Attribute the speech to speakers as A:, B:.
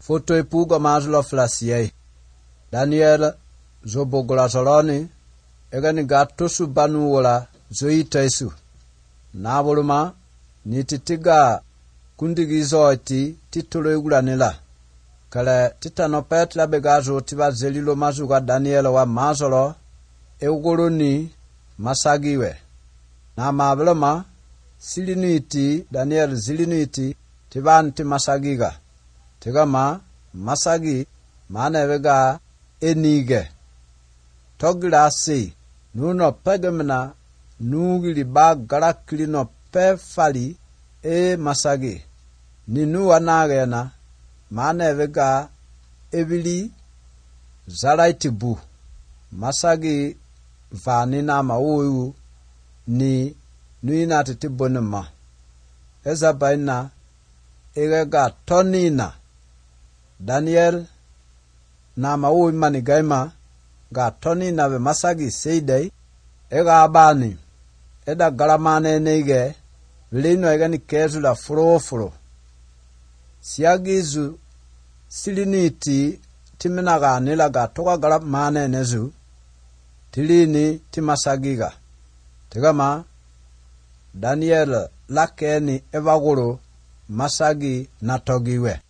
A: Foto ipuga mazlo flasiye. Daniel zobogola soloni egani gatosu banu wala zoitaisu. Nabuluma nititiga kundigizo iti titulo igulanila. Kale titanopet labegazo tiba zelilo mazuga Daniel wa mazolo euguluni masagiwe. Na mabuluma siliniti Daniel ziliniti tibanti masagiga. Tigama masagi manevega enige. Togila si nuno pegemna nugili ba garakili no pefali masagi. Ninu wanagena manevega ebili zaraitibu. Masagi vanina mauyu ni nuina titibonema. Eza baina egega tonina. Daniel na mauyu manigaima ga tonina ve masagi seidei ega abani eda garamane nege vilino egani kezu la furo. Siagizu siliniti timinaga nilaga toka garamane nezu tilini timasagiga. Tigama Daniel lakeni evaguru masagi natogiwe.